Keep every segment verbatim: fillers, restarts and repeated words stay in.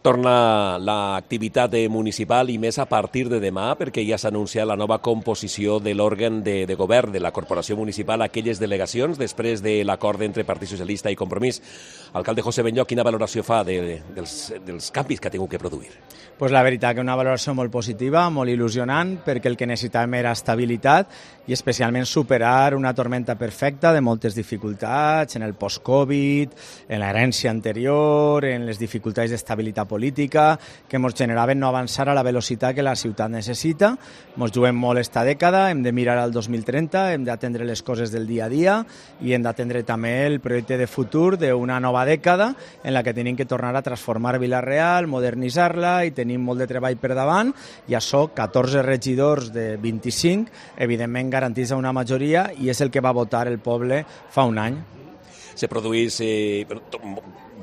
Torna l'activitat municipal i més a partir de demà, perquè ja s'ha anunciat la nova composició de l'òrgan de, de govern de la Corporació Municipal, aquelles delegacions, després de l'acord entre Partit Socialista i Compromís. Alcalde José Benlloch, quina valoració fa de, dels, dels canvis que ha tingut que produir? Pues la veritat que una valoració molt positiva, molt il·lusionant, perquè el que necessitàvem era estabilitat i especialment superar una tormenta perfecta de moltes dificultats en el post-Covid, en l'herència anterior, en les dificultats d'estabilitat política que ens generaven no avançar a la velocitat que la ciutat necessita. Ens juguem molt esta dècada, hem de mirar al dos mil trenta, hem d'atendre les coses del dia a dia i hem d'atendre també el projecte de futur d'una nova dècada en la que tenim que tornar a transformar Vila-real, modernitzar-la i tenim molt de treball per davant i això, catorze regidors de vint-i-cinc, evidentment garanteix una majoria i és el que va votar el poble fa un any. Se produeix eh,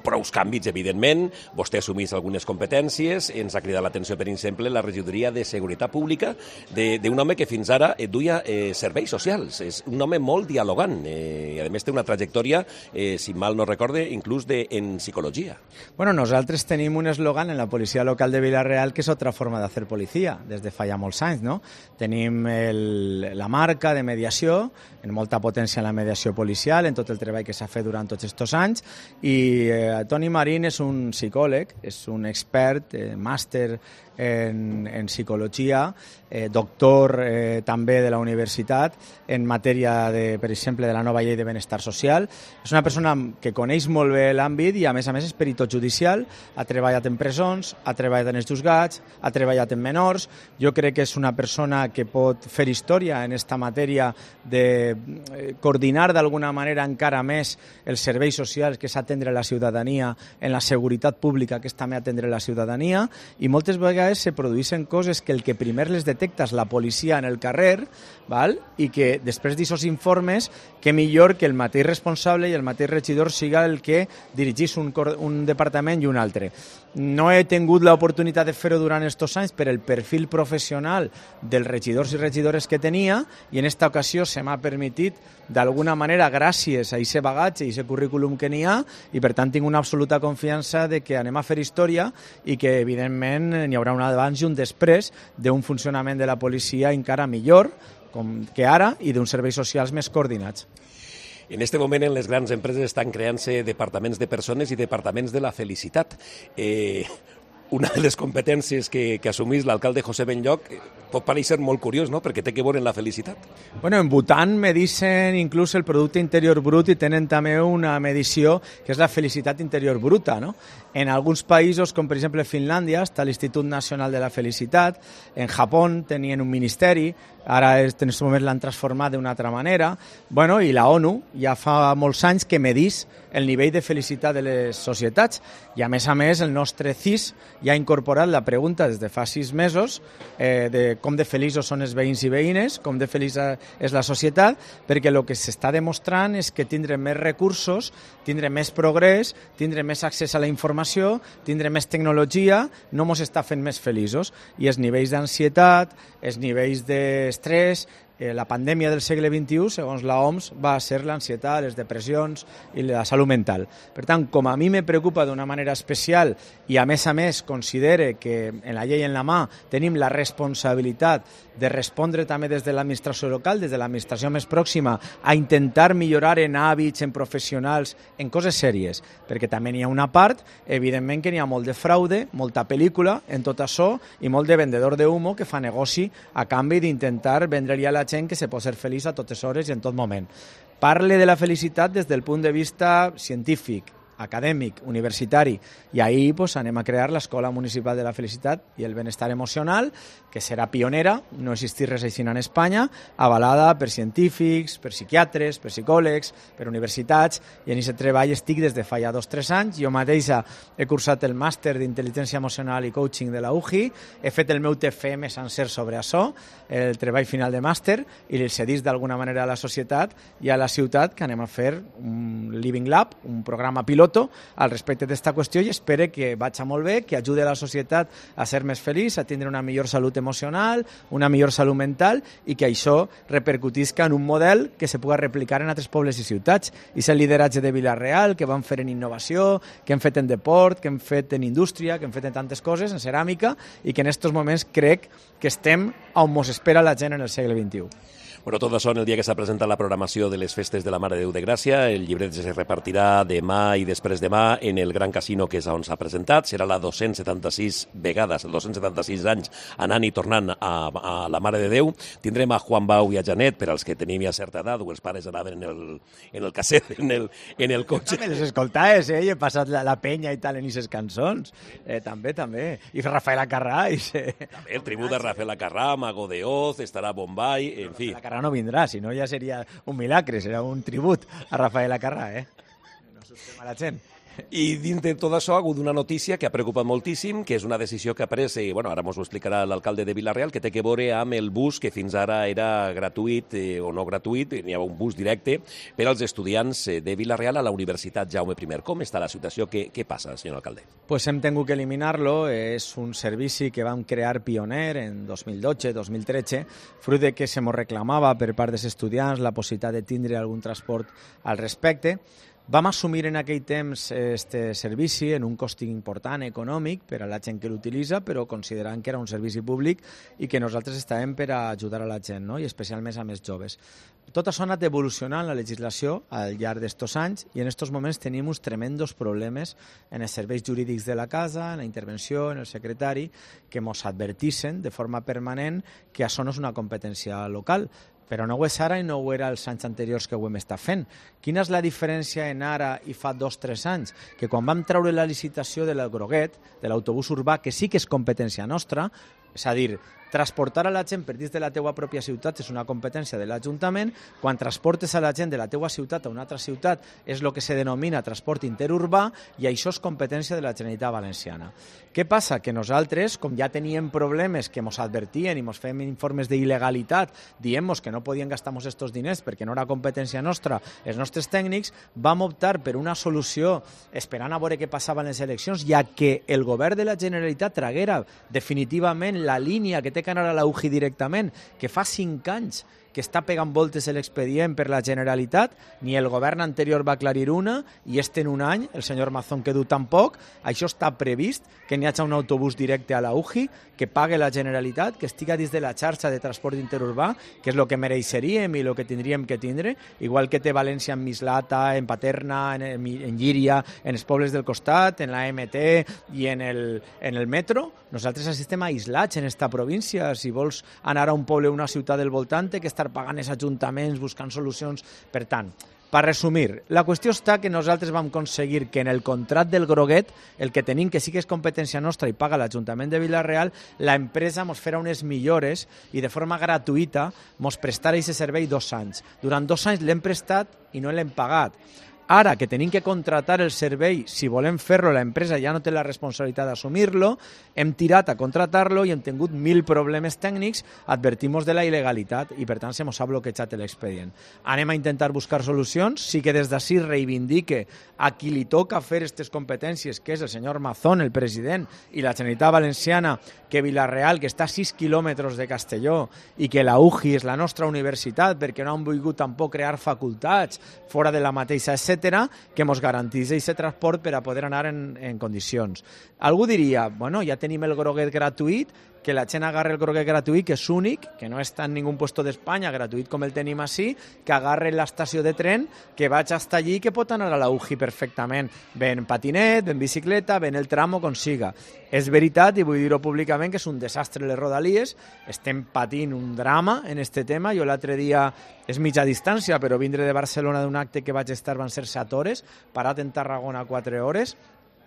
prous canvis, evidentment. Vostè assumís algunes competències. Ens ha cridat l'atenció, per exemple, la regidoria de Seguretat Pública d'un home que fins ara eh, duia eh, serveis socials. És un home molt dialogant eh, i, a més, té una trajectòria, eh, si mal no recorde, inclús de, en psicologia. Bueno, nosaltres tenim un eslògan en la policia local de Vila-real que és otra forma de hacer policia, des de fa ja molts anys, no? Tenim el, la marca de mediació, en molta potència en la mediació policial, en tot el treball que s'ha fet durant tots aquests anys, i eh, Toni Marín és un psicòleg, és un expert, eh, màster en, en psicologia, eh, doctor eh, també de la universitat en matèria, de, per exemple, de la nova llei de benestar social. És una persona que coneix molt bé l'àmbit i, a més a més, és peritot judicial, ha treballat en presons, ha treballat en els juzgats, ha treballat en menors. Jo crec que és una persona que pot fer història en esta matèria de coordinar d'alguna manera encara més els serveis socials, que és atendre la ciutadania, en la seguretat pública, que és també atendre la ciutadania, i moltes vegades se produeixen coses que el que primer les detecta és la policia en el carrer, val? I que després d'aquests informes, que millor que el mateix responsable i el mateix regidor siga el que dirigís un, un departament i un altre. No he tingut l'oportunitat de fer-ho durant aquests anys per el perfil professional dels regidors i regidores que tenia i en esta ocasió se m'ha permitit d'alguna manera, gràcies a aquest bagatge i aquest currículum que n'hi ha, i per tant tinc una absoluta confiança de que anem a fer història i que evidentment n'hi haurà un abans i un després d'un funcionament de la policia encara millor com que ara i d'uns serveis socials més coordinats. En aquest moment, en les grans empreses estan creant-se departaments de persones i departaments de la felicitat. Eh, una de les competències que, que assumís l'alcalde José Benlloch pot parecer molt curiós, no?, perquè té que veure en la felicitat. Bueno, en Bhutan medicen inclús el producte interior brut i tenen també una medició que és la felicitat interior bruta, no? En alguns països, com per exemple Finlàndia, està l'Institut Nacional de la Felicitat, en Japó tenien un ministeri, ara en aquest moment l'han transformat d'una altra manera, bueno, i la ONU ja fa molts anys que medís el nivell de felicitat de les societats i, a més a més, el nostre C I S ja ha incorporat la pregunta des de fa sis mesos eh, de com de feliços són els veïns i veïnes, com de feliç és la societat, perquè el que s'està demostrant és que tindre més recursos, tindre més progrés, tindre més accés a la informació, tindre més tecnologia, no ens està fent més feliços. I els nivells d'ansietat, els nivells d'estrès, Eh, la pandèmia del segle vint-i-u, segons l'O M S, va ser l'ansietat, les depressions i la salut mental. Per tant, com a mi me preocupa d'una manera especial i, a més a més, considere que en la llei en la mà tenim la responsabilitat de respondre també des de l'administració local, des de l'administració més pròxima, a intentar millorar en hàbits, en professionals, en coses sèries, perquè també n'hi ha una part, evidentment que n'hi ha molt de fraude, molta pel·lícula en tot això i molt de vendedor d'humo que fa negoci a canvi d'intentar vendre-li a la gent que se pot ser feliç a totes hores i en tot moment. Parle de la felicitat des del punt de vista científic, acadèmic, universitari, i ahir pues, anem a crear l'Escola Municipal de la Felicitat i el Benestar Emocional, que serà pionera, no existeix res així en Espanya, avalada per científics, per psiquiatres, per psicòlegs, per universitats, i en aquest treball estic des de fa ja dos o tres anys. Jo mateixa he cursat el màster d'intel·ligència emocional i coaching de la U J I, he fet el meu T F M sencer sobre això, el treball final de màster, i li cedís d'alguna manera a la societat i a la ciutat que anem a fer un Living Lab, un programa pilot piloto al respecte d'esta qüestió i espero que vagi molt bé, que ajude a la societat a ser més feliç, a tindre una millor salut emocional, una millor salut mental i que això repercutisca en un model que se pugui replicar en altres pobles i ciutats. I és el lideratge de Vila-real que vam fer en innovació, que hem fet en deport, que hem fet en indústria, que hem fet en tantes coses, en ceràmica, i que en aquests moments crec que estem on mos espera la gent en el segle vint-i-u. Bueno, tot això en el dia que s'ha presentat la programació de les festes de la Mare de Déu de Gràcia. El llibret es repartirà demà i després demà en el Gran Casino, que és on s'ha presentat. Serà la dos-cents setanta-sis vegades, dos-cents setanta-sis anys anant i tornant a, a la Mare de Déu. Tindrem a Juan Bau i a Janet, per als que tenim ja certa edat, o els pares anaven en el, en el casset, en el, en el cotxe. També les escoltaves, eh? I he passat la, la penya i tal en aquestes cançons. Eh, també, també. I Rafael Acarrà. I se... També el tribut de Rafael Acarrà, Mago de Oz, estarà Bombay, en fi. Acarrà no vindrà, si no ja seria un milagre, serà un tribut a Rafael Acarrà, eh? No s'ho a la gent. I dins de tot això ha hagut una notícia que ha preocupat moltíssim, que és una decisió que ha pres, i bueno, ara ens ho explicarà l'alcalde de Vila-real, que té que veure amb el bus que fins ara era gratuït eh, o no gratuït, n'hi ha un bus directe per als estudiants de Vila-real a la Universitat Jaume I. Com està la situació? Què, què passa, senyor alcalde? Pues hem tingut que eliminar-lo. És un servici que vam crear pioner en dos mil dotze dos mil tretze, fruit de que se mos reclamava per part dels estudiants la possibilitat de tindre algun transport al respecte. Vam assumir en aquell temps este servici en un cost important econòmic per a la gent que l'utilitza, però considerant que era un servici públic i que nosaltres estàvem per a ajudar a la gent, no? I especialment a més joves. Tot això ha anat evolucionant la legislació al llarg d'estos anys i en estos moments tenim uns tremendos problemes en els serveis jurídics de la casa, en la intervenció, en el secretari, que ens advertixen de forma permanent que això no és una competència local. Però no ho és ara i no ho era els anys anteriors que ho hem estat fent. Quina és la diferència en ara i fa dos o tres anys? Que quan vam treure la licitació de l'Groguet, de l'autobús urbà, que sí que és competència nostra, és a dir, transportar a la gent per dins de la teua pròpia ciutat és una competència de l'Ajuntament. Quan transportes a la gent de la teua ciutat a una altra ciutat és el que se denomina transport interurbà i això és competència de la Generalitat Valenciana. Què passa? Que nosaltres, com ja teníem problemes que ens advertien i ens fèiem informes d'il·legalitat, dient-nos que no podien gastar-nos estos diners perquè no era competència nostra, els nostres tècnics, vam optar per una solució esperant a veure què passava en les eleccions, ja que el govern de la Generalitat traguera definitivament la línia que té que anar a la U G I directament, que fa cinc anys que està pegant voltes l'expedient per la Generalitat, ni el govern anterior va aclarir una, i este en un any, el senyor Mazón que du tampoc, això està previst, que n'hi hagi un autobús directe a la U G I, que pague la Generalitat, que estiga dins de la xarxa de transport interurbà, que és el que mereixeríem i el que tindríem que tindre, igual que té València en Mislata, en Paterna, en, en Llíria, en els pobles del costat, en la M T i en el, en el metro. Nosaltres estem aislats en esta província. Si vols anar a un poble o una ciutat del voltant, que estar pagant els ajuntaments, buscant solucions. Per tant, per resumir, la qüestió està que nosaltres vam aconseguir que en el contracte del Groguet, el que tenim, que sí que és competència nostra i paga l'Ajuntament de Vila-real, l'empresa ens farà unes millores i de forma gratuïta ens prestarà aquest servei dos anys. Durant dos anys l'hem prestat i no l'hem pagat. Ara que tenim que contratar el servei, si volem fer-lo, l'empresa ja no té la responsabilitat d'assumir-lo, hem tirat a contratar-lo i hem tingut mil problemes tècnics, advertim-nos de la il·legalitat i per tant se mos ha bloquejat l'expedient. Anem a intentar buscar solucions, sí que des d'ací reivindique a qui li toca fer aquestes competències, que és el senyor Mazón, el president, i la Generalitat Valenciana, que Vila-real, que està a sis quilòmetres de Castelló, i que la U G I és la nostra universitat, perquè no han volgut tampoc crear facultats fora de la mateixa, etcètera, que ens garantís aquest transport per a poder anar en, en condicions. Algú diria, bueno, ja tenim el Groguet gratuït, que la gent agarre el Groguet gratuït, que és únic, que no està en ningú puesto d'Espanya, gratuït com el tenim així, que agarre l'estació de tren, que vaig hasta allí, que pot anar a la U G I perfectament, ben patinet, ben bicicleta, ben el tram o consiga. És veritat, i vull dir-ho públicament, que és un desastre les Rodalies, estem patint un drama en este tema. Jo l'altre dia, és mitja distància, però vindre de Barcelona d'un acte que vaig estar van ser set hores, parat en Tarragona quatre hores,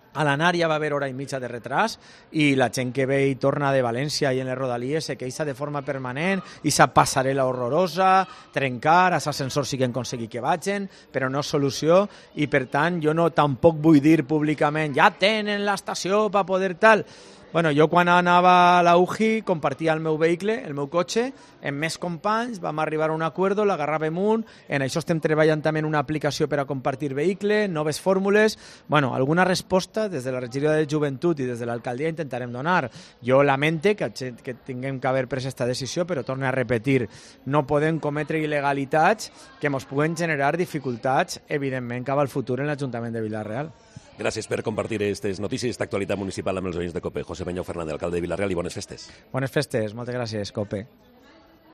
a l'anar ja va haver hora i mitja de retras i la gent que ve i torna de València i en les Rodalies se queixa de forma permanent i sa passarel·la horrorosa, trencar, els ascensors sí que han aconseguit que vagin, però no és solució i per tant jo no tampoc vull dir públicament ja tenen l'estació per poder tal. Bueno, jo quan anava a la U J I compartia el meu vehicle, el meu cotxe, amb més companys, vam arribar a un acord, l'agarràvem un, en això estem treballant també en una aplicació per a compartir vehicle, noves fórmules. Bueno, alguna resposta des de la regidoria de Joventut i des de l'alcaldia intentarem donar. Jo lamente que, que tinguem que haver pres aquesta decisió, però torno a repetir, no podem cometre il·legalitats que ens puguen generar dificultats, evidentment, cap al futur en l'Ajuntament de Vila-real. Gràcies per compartir aquestes notícies d'actualitat municipal amb els veïns de COPE. José Peñau Fernández, alcalde de Vila-real, i bones festes. Bones festes, moltes gràcies, COPE.